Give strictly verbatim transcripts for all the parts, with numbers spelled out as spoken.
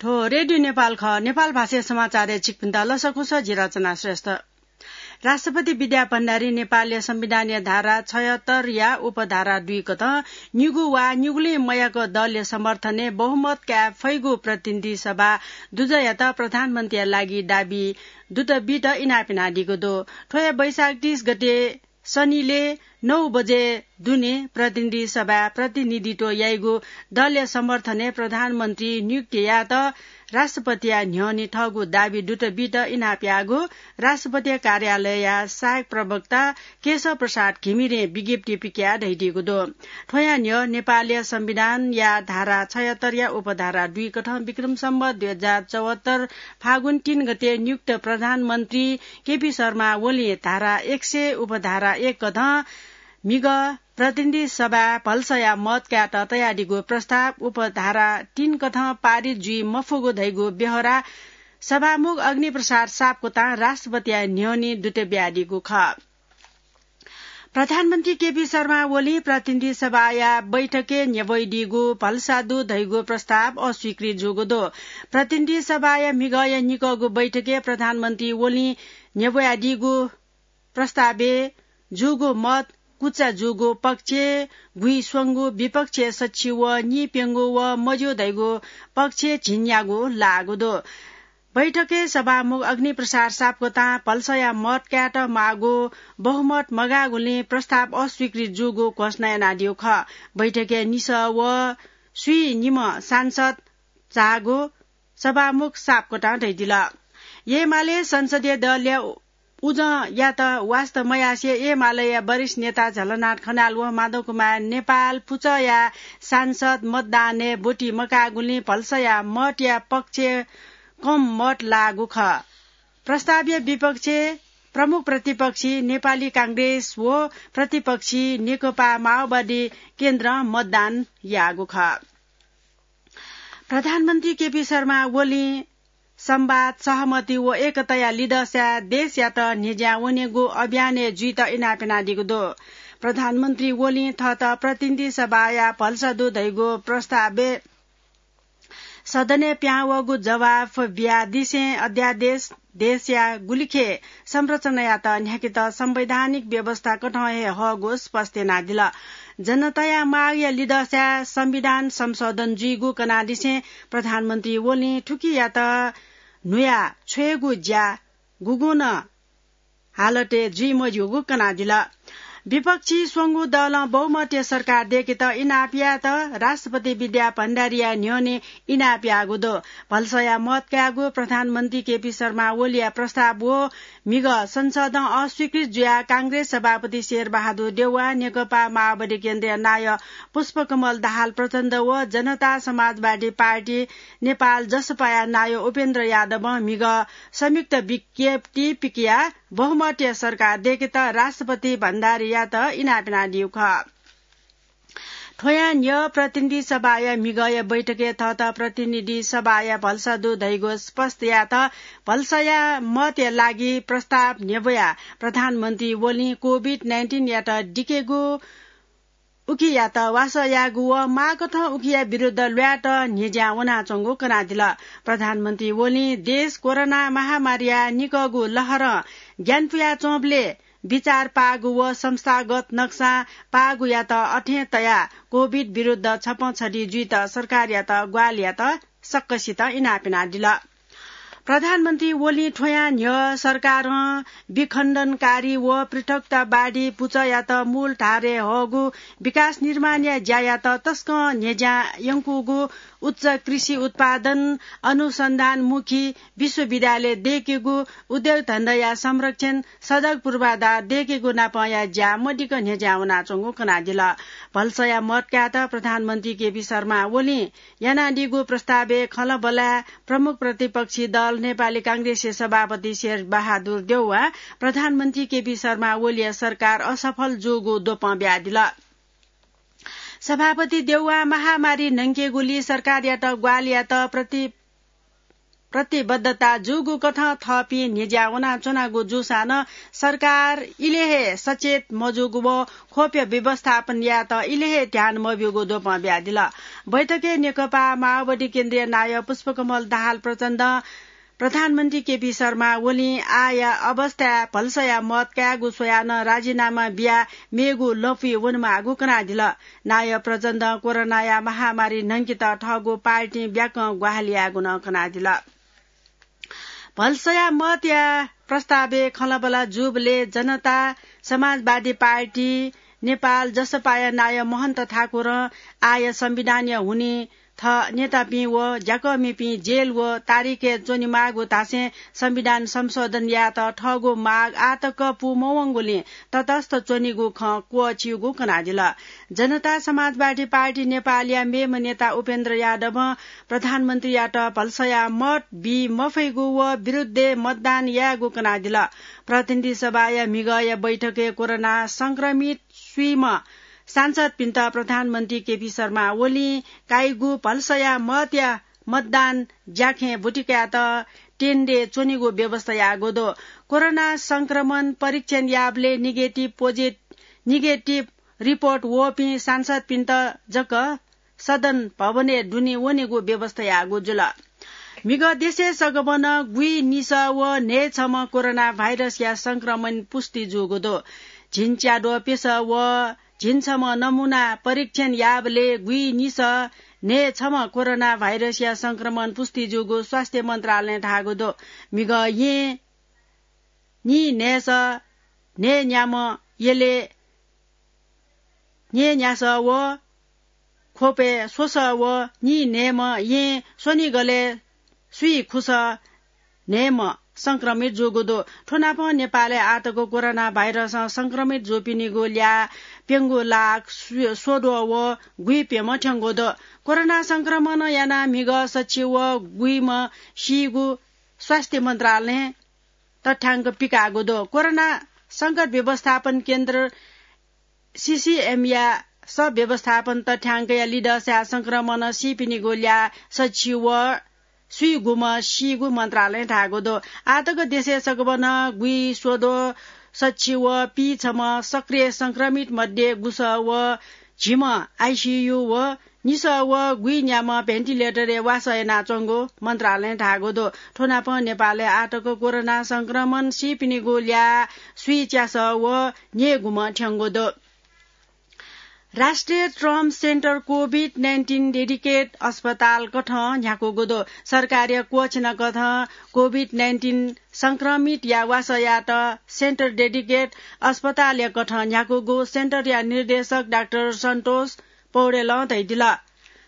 थ्व रेडियो नेपाल खः। नेपाल भाषाया समाचारय् छिकपिन्त लसकुस, जि रचना श्रेष्ठ। राष्ट्रपति विद्या भण्डारी नेपालया संविधानया धारा छयहत्तरया उपधारा दुई कथं निगू वा निगुलिं मयाक दलया समर्थनय् बहुमत काये फइगु प्रतिनिधि सभा दुजःयात प्रधानमन्त्रीया लागि दाबी दुत बीत इनाप यानादीगु दु। थ्व हे वैशाख तीस गते सनिलय् नौ बजे दुने प्रतिनिधि सभाय् प्रतिनिधित्व याइगु दलया समर्थनय् प्रधानमन्त्री नियुक्ति यायेत राष्ट्रपतिया न्ह्यःने थःगु दाबी दुत बीत इनाप याःगु राष्ट्रपतिया कार्यालयया सहायक प्रवक्ता केशव प्रसाद घिमिरें विज्ञप्ति पिकयाः धयादीगु दु। थ्वया न्ह्यः नेपालया संविधानया धारा छयहत्तरया उपधारा दुई कथं विक्रम सम्वत दुई हजार चौहत्तर फागुन तीन गते नियुक्त प्रधानमन्त्री केपी शर्मा ओलीं धारा एक सय उपधारा एक कथं म्हिगः प्रतिनिधि सभाय् भलसाया मत कायेत तयादीगु प्रस्ताव उपधारा तीन कथं पारित जुइ मफुगु धइगु ब्यहोरा सभामुख अग्निप्रसाद सापकोटां राष्ट्रपतिया न्ह्यःने दुत बियादीगु खः। प्रधानमन्त्री केपी शर्मा ओलीं प्रतिनिधि सभाया बैठकय् न्ह्यब्वयादीगु भलसा दु धइगु प्रस्ताव अस्वीकृत जूगु दु। प्रतिनिधि सभाया म्हिगःया निकःगु बैठकय् प्रधानमन्त्री ओलीं न्ह्यब्वयादीगु प्रस्तावय् जूगु मत कुचा जूगु पक्षय् गुइस्वंगू, विपक्षय् सछि व नीप्यंगू व मज्यू धइगु पक्षय् झिंन्यागू लाःगु दु। बैठकय् सभामुख अग्निप्रसाद सापकोटां भलसाया मत कायेत माःगु बहुमत मगाःगुलिं प्रस्ताव अस्वीकृत जूगु घोषणा यानादीगु खः। बैठकय् निसः व स्वीनिम्ह सांसद झाःगु सभामुख सापकोटां धयादिल। एमाले संसदीय दलया उजंयात वास्ता मयासें एमालेया वरिष्ठ नेता झलनाथ खनाल व माधव कुमार नेपाल पुचःया सांसद मतदानय् ब्वति मकाःगुलिं भलसाया मतया पक्षय् कम मत लाःगु खः। प्रस्तावया विपक्षय् प्रमुख प्रतिपक्षी नेपाली कांग्रेस व प्रतिपक्षी नेकपा माओवादी केन्द्रं मतदान याःगु खः। प्रधानमन्त्री केपी शर्मा ओलीं संवाद, सहमति व एकताया लिधःसाय् देशयात न्ह्यज्यां वनेगु अभियानय् जुइत इनाप यानादीगु दु। प्रधानमन्त्री ओलीं थःत प्रतिनिधि सभाया भलसा दु धइगु प्रस्तावय् सदनय् पिहां वःगु जवाफ बियादिसें अध्यादेश देशया गुलिखे संरचनायात न्ह्याकेत संवैधानिक व्यवस्था कथं हे हःगु स्पष्ट यानादिल। जनताया मागया लिधःसाय् संविधान संशोधन जुइगु कनादिसें प्रधानमन्त्री ओलीं थुकियात न्हुया छ्वयेगु ज्या गुगुं नं हालतय् जुइ मज्यूगु कनादिल। विपक्षी स्वंगू दलं बहुमतया सरकार दय्केत इनाप यायेत राष्ट्रपति विद्या भण्डारीया न्ह्यःने इनाप याःगु दु। भलसाया मत कायेगु प्रधानमन्त्री केपी शर्मा ओलीया प्रस्ताव व म्हिगः संसदं अस्वीकृत जुयाः कांग्रेस सभापति शेरबहादुर देउवा, नेकपा माओवादी केन्द्रया नायः पुष्पकमल दाहाल प्रचण्ड व जनता समाजवादी पार्टी नेपाल जसपाया नायः उपेन्द्र यादवं म्हिगः संयुक्त विज्ञप्ति पिकयाः बहुमतया सरकार दय्केत राष्ट्रपति भण्डारीयात इनाप यानादीगु खः। थ्वयां न्ह्यः प्रतिनिधि सभाया म्हिगःया बैठकय् थःत प्रतिनिधि सभाया भलसा दु धइगु स्पष्ट यायेत भलसाया मतया लागि प्रस्ताव न्ह्यब्वयाः प्रधानमन्त्री ओलीं कोभिड नाइन्टिनयात दिकेगु उकियात वासः यायेगु व माःकथं उकिया विरुद्ध ल्वायेत न्ह्यज्यां वनाच्वंगु कनादिल। प्रधानमन्त्री ओलीं देश कोरोना महामारीया निकःगु लहरं ग्यानापुयाच्वंबलय् बिचाः पाःगु व संस्थागत नक्सां पाःगुयात अथें तयाः कोभिड विरुद्ध छपंछदी जुइत सरकारयात ग्वाहालियात सकसितं इनाप यानादिल। प्रधानमन्त्री ओलीं थ्वयां न्ह्यः सरकारं विखण्डनकारी व पृथकतावादी पुचःयात मूल धारय् हःगु विकास निर्माणया ज्यायात तसकं न्ह्यज्यां यंकूगु, उच्च कृषि उत्पादन, अनुसन्धानमुखी विश्वविद्यालय दय्केगु, उद्योग धन्दाया संरक्षण, सडक पूर्वाधार दय्केगु नापंया ज्या मदिक्क न्ह्यज्यां वनाच्वंगु कनादिल। भलसाया मत कायेत प्रधानमन्त्री केपी शर्मा ओलीं यानादीगु प्रस्तावय् खँल्हाबल्हाय् प्रमुख प्रतिपक्षी दल नेपाली कांग्रेसया सभापति शेरबहादुर देउवां प्रधानमन्त्री केपी शर्मा ओलीया सरकार असफल जूगु द्वपं बियादिल। सभापति देउवां महामारी न्हंकेगुली सरकारयात ग्वाहालियात प्रति प्रतिबद्धता जूगु कथं थःपिं न्ह्यज्या वनाच्वनागु जूसां नं सरकार इलय् हे सचेत मजूगु व खोप व्यवस्थापन यायेत इलय् हे ध्यान मब्यूगु द्वपं बियादिल। बैठकय् नेकपा माओवादी केन्द्रीय नायः पुष्पकमल दाहाल प्रचण्डं प्रधानमन्त्री केपी शर्मा ओलीं आःया अवस्थाय् भलसया मत कायेगु स्वयाः नं राजीनामा बियाः मेगु लँपुइ वनेमाःगु कनादिल। नायः प्रचण्डं कोरोनाया महामारी न्हंकेत थःगु पार्टीं ब्याकं ग्वाहालि यायेगु नं कनादिल। भलसया मतया प्रस्तावय् खँल्हाबल्हा जूबलय् जनता समाजवादी पार्टी नेपाल जसपाया नायः महन्त ठाकुरं आःया संविधानया हुनिं थः नेतापिं व ज्याकःमिपिं जेल व तारिखय् च्वनेमाःगु धासें संविधान संशोधन यायेत थःगु माग आःतक पूमवंगुलिं तटस्थ च्वनीगु खँ क्वःछिउगु कनादिल। जनता समाजवादी पार्टी नेपालया मेम्ह नेता उपेन्द्र यादवं प्रधानमन्त्रीयात भलसया मत बी मफइगु व विरुद्धय् मतदान यायेगु कनादिल। प्रतिनिधि सभाया म्हिगःया बैठकय् कोरोना संक्रमित स्वीम्ह सांसदपिन्त प्रधानमन्त्री केपी शर्मा ओलीं काइगु भलसया मतया मतदान ज्याखँय् ब्वति कायेत टेन्डय् च्वनेगु व्यवस्था याःगु दु। कोरोना संक्रमण परीक्षण याःबलय् निगेटिभ पोजि-, निगेटिभ रिपोर्ट वःपिं सांसदपिन्त जक सदन भवनय् दुने वनेगु व्यवस्था याःगु जुल। म्हिगः देशय् सगभनं गुइनिसः व न्हय्छम्ह कोरोना भाइरसया संक्रमण पुष्टि जूगु दु। झिंच्याद्वः प्यसः व झिंछम्ह नमुना परीक्षण याःबलय् गुइनिसः न्हय्छम्ह कोरोना भाइरसया संक्रमण पुष्टि जूगु स्वास्थ्य मन्त्रालयं धाःगु दु। म्हिगः येँ नीन्हय्सः न्हय्न्याम्ह यलय् न्हय्न्यासः व ख्वपय् स्वसः व नीन्हय्म्ह येँ स्वनिगलय् स्वीखुसः न्हय्म्ह संक्रमित जूगु दु। थ्व नापं नेपालय् आःतक कोरोना भाइरसं संक्रमित जूपिनिगु ल्याः प्यंगू लाख स्व-, स्वद्वः व गुइप्यम्ह थ्यंगु दु। कोरोना संक्रमणं यानाः म्हिगः सछि व गुइम्ह सीगु स्वास्थ्य मन्त्रालयं तथ्याङ्क पिकाःगु दु। कोरोना संकट व्यवस्थापन केन्द्र, सीसीएमया सह व्यवस्थापन तथ्याङ्कया लिधःसाय् संक्रमणं सीपिनिगु ल्याः सछि व स्वीगुम्ह सीगु मन्त्रालयं धाःगु दु। आःतक देशय् सगभनं गुइस्वद्वः सछि व पीछम्ह सक्रिय संक्रमित मध्ये गुसः व झिम्ह आइसीयू व निसः व गुइन्याम्ह भेन्टिलेटरय् वासः यानाच्वंगु मन्त्रालयं धाःगु दु। थ्व नापं नेपालय् आःतक कोरोना संक्रमण सीपिनिगु ल्याः स्वीच्यासः व न्यय्गुम्ह थ्यंगु दु। राष्ट्रिय trauma centre covid nineteen dedicate अस्पताल कथं न्ह्याकूगु दु। सरकारया क्वःछिना कथं कोभिड नाइन्टिन संक्रमितया वासः यायेत सेन्टर डेडिकेट अस्पतालया कथं न्ह्याकूगु सेन्टरया निर्देशक डाक्टर सन्तोष पौडेलं धयादिल।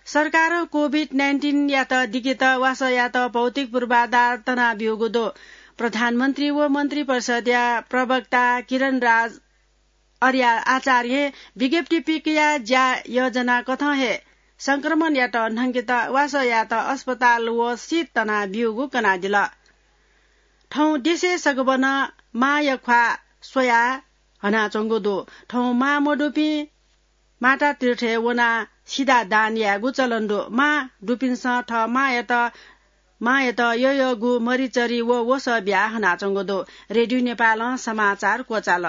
सरकारं कोभिड नाइन्टिनयात दिकेत वासःयात भौतिक पूर्वाधार तनाब्यूगु दु। प्रधानमन्त्री व मन्त्रिपरिषदया प्रवक्ता किरणराज अर्या आचार्यं विज्ञप्ति पिकयाः ज्या योजना कथं हे संक्रमणयात न्हंकेत वासःयात अस्पताल व सिट तनाब्यूगु कनादिल। थौं देशय् सगभनं मांया ख्वाः स्वयाः हनाच्वंगु दु। थौं मां मदुपिं माता तीर्थय् वनाः सिधा दान यायेगु चलन दु। मां दुपिन्सं थः मांयात, मांयात यःयःगु मरिचरी व वसः बियाः हनाच्वंगु दु। रेडियो नेपालं समाचार क्वचाल।